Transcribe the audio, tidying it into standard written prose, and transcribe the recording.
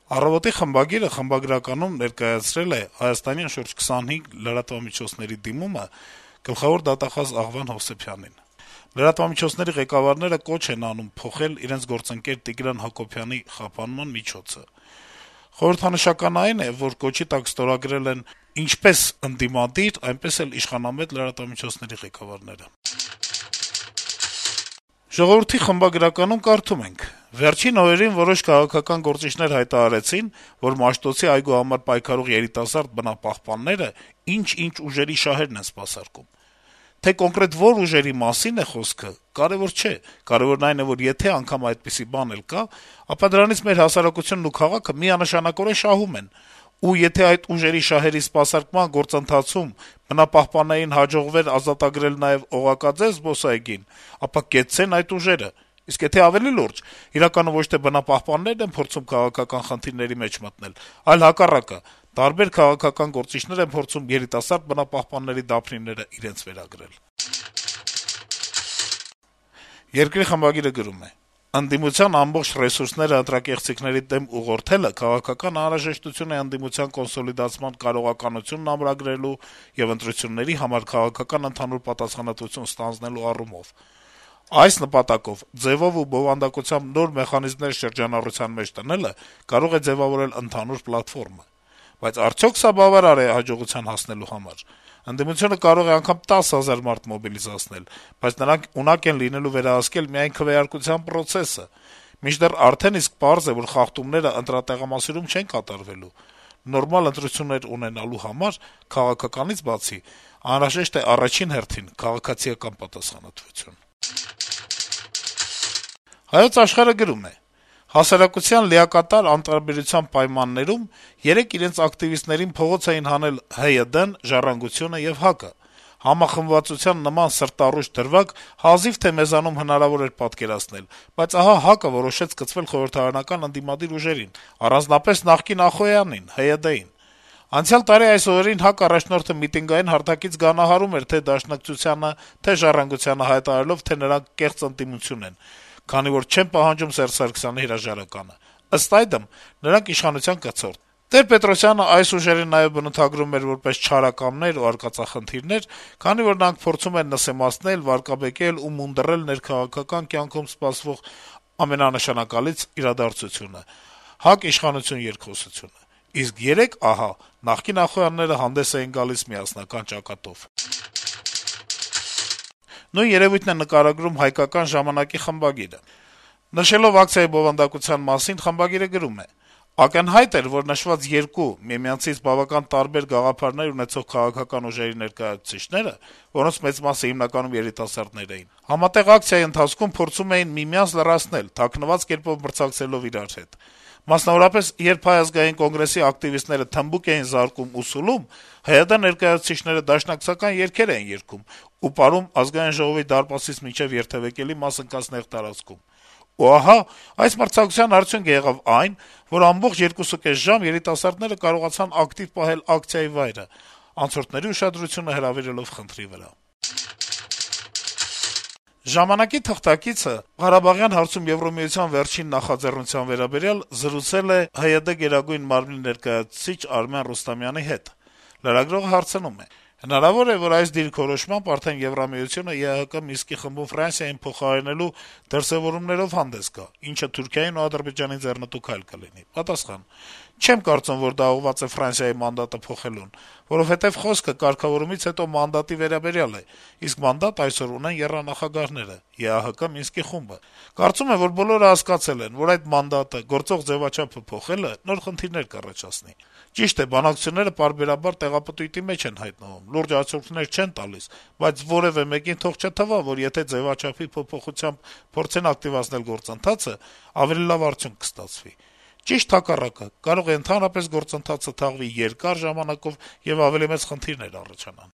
Առավոտի խմբագիրը խմբագրականում ներկայացրել է Հայաստանյան շուրջ 25 լրատվամիջոցների դիմումը գլխավոր դատախազ Աղվան Հովսեփյանին։ Լրատվամիջոցների ղեկավարները կոչ են անում փոխել իրենց գործընկեր Տիգրան Հակոբյանի խափանման միջոցը։ Խորհրդանշական այն է, որ կոչի տակ ստորագրել են ինչպես ընդդիմադիր, այնպես էլ իշխանամետ լրատվամիջոցների ղեկավարները։ Ժողովրդի խմբագրականում կարդում ենք. - «Վերջին օրերին որոշ քաղաքական գործիչներ հայտարարեցին, որ Մաշտոցի այգու համար պայքարող երիտասարդ բնապահպանները ինչ-ինչ ուժերի շահերն են սպասարկում։ Թե կոնկրետ որ ուժերի մասին է խոսքը, կարեւոր չէ, կարեւորն այն է, որ եթե անգամ այդպիսի բան էլ կա, ապա դրանից մեր հասարակությունն ու քաղաքը միանշանակորեն շահում են, ու եթե այդ ուժերի շահերի սպասարկման գործընթացում բնապահպաններին հաջողվեր ազատագրել նաեւ օղակաձև զբոսայգին, ապա կեցցեն այդ ուժերը։ Իսկ եթե ավելի լուրջ, իրականում ոչ թե բնապահպաններն են փորձում քաղաքական խնդիրների մեջ մտնել, այլ հակառակը, տարբեր քաղաքական գործիչներ են փորձում երիտասարդ բնապահպանների դափնիները իրենց վերագրել»։ Երկրի խմբագիրը գրում է. - «Ընդդիմության ամբողջ ռեսուրսները ընտրակեղծիքների դեմ ուղղորդելը քաղաքական անհրաժեշտություն է ընդդիմության կոնսոլիդացման կարողականությունն ամրագրելու եւ ընտրությունների համար քաղաքական ընդհանուր պատասխանատվություն ստանձնելու առումով։ Այս նպատակով ձեւով ու բովանդակությամբ նոր մեխանիզմներ շրջանառության մեջ տնելը կարող է ձեւավորել ընդհանուր պլատֆորմը։ Բայց արդյոք սա բավարար է հաջողության հասնելու համար։ Ընդդիմությունը կարող է անգամ 10 000 մարդ մոբիլիզացնել, բայց նրանք ունակ են լինելու վերահսկել միայն քվեարկության պրոցեսը։ Մինչդեռ արդեն իսկ պարզ է, որ խախտումները ընտրատեղամասերում չեն կատարվելու։ Նորմալ ընտրություններ ունենալու համար քաղաքականից բացի անհրաժեշտ է առաջին հերթին քաղաքացիական պատասխանատվություն»։ «Հայոց Աշխարհ»-ը գրում է. - «Հասարակության լիակատար անտարբերության պայմաններում երեկ իրենց ակտիվիստներին փողոց էին հանել ՀՅԴ-ն, «Ժառանգությունը» եւ ՀԱԿ-ը։ Համախմբվածության նման սրտառուչ դրվագ հազիվ թե մեզանում հնարավոր էր պատկերացնել, բայց ահա ՀԱԿ-ը որոշեց կցվել խորհրդարանական ընդդիմադիր ուժերին, առանձնապես նախկին Ախոյանին, ՀՅԴ-ին։ Անցյալ տարի այս օրերին ՀԱԿ առաջնորդը միտինգային հարթակից գանահարում էր թե Դաշնակցությանը, թե «Ժառանգությանը», հայտարարելով, թե նրանք կեղծ ընդդիմություն են, քանի որ չեն պահանջում Սերժ Սարգսյանի հրաժարականը։ Ըստ այդմ, նրանք իշխանության կցորդ։ Տեր-Պետրոսյանը այս ուժերին նաեւ բնութագրում էր որպես չարակամներ ու արկածախնդիրներ, քանի որ նրանք փորձում են նսեմացնել, վարկաբեկել ու մունդռել ներքաղաքական կյանքում սպասվող ամենանշանակալից իրադարձությունը` ՀԱԿ իշխանություն երկխոսությունը։ Իսկ երեկ, ահա, նախկին Ախոյանները հանդես էին գալիս միասնական ճակատով»։ Նույն երեւույթն է նկարագրում «Հայկական ժամանակ»-ի խմբագիրը։ Նշելով ակցիայի բովանդակության մասին` խմբագիրը գրում է. - «Ակնհայտ էր, որ նշված երկու միմյանցից բավական տարբեր գաղափարներ ունեցող քաղաքական ուժերի ներկայացուցիչները, որոնց մեծ մասը հիմնականում երիտասարդներ էին, համատեղ ակցիայի ընթացքում փորձում էին միմյանց լռացնել` թաքնված կերպով մրցակցելով իրար հետ։ Մասնավորապես, երբ Հայ ազգային կոնգրեսի ակտիվիստները թմբուկ էին զարկում ու սուլում, ՀՅԴ ներկայացուցիչները դաշնակցական երգեր էին երգում ու պարում Ազգային ժողովի դարպասից մինչեւ երթեւեկելի մաս ընկած նեղ տարածքում։ Ու ահա, այս մրցակցության արդյունքը եղավ այն, որ ամբողջ 2.5 ժամ երիտասարդները կարողացան ակտիվ պահել ակցիայի վայրը, անցորդների ուշադրությունը հրավիրելով խնդրի վրա»։ «Ժամանակ»-ի թղթակիցը Ղարաբաղյան հարցում Եվրամիության վերջին նախաձեռնության վերաբերյալ զրուցել է ՀՅԴ Գերագույն մարմնի ներկայացուցիչ Արմեն Ռուստամյանի հետ։ Լրագրողը հարցնում է. - «Հնարավո՞ր է, որ այս դիրքորոշմամբ արդեն Եվրամիությունը ԵԱՀԿ Մինսկի խմբում Ֆրանսիային փոխարինելու դրսեւորումներով հանդես գա, ինչը Թուրքիային ու Ադրբեջանին ձեռնտու քայլ կլինի»։ Պատասխան. - «Չեմ կարծում, որ դա ուղղված է Ֆրանսիայի մանդատը փոխելուն, որովհետեւ խոսքը կարգավորումից հետո մանդատի վերաբերյալ է, իսկ մանդատ այսօր ունեն եռանախագահները` ԵԱՀԿ Մինսկի խումբը։ Կարծում եմ, որ բոլորը հասկացել են, որ այդ մանդատը, գործող ձեւաչափը փոխելը նոր խնդիրներ կառաջացնի։ Ճիշտ է, բանակցությունները պարբերաբար տեղապտույտի մեջ են հայտնվում, լուրջ արդյունքներ չեն տալիս, բայց որեւէ մեկին թող չթվա, որ եթե ձեւաչափի փոփոխությամբ փորձեն ակտիվացնել գործընթացը, ավելի լավ արդյունք կստացվի։ Ճիշտ հակառակը, կարող է ընդհանրապես գործընթացը թաղվի երկար ժամանակով եւ ավելի մեծ խնդիրներ առաջանան»։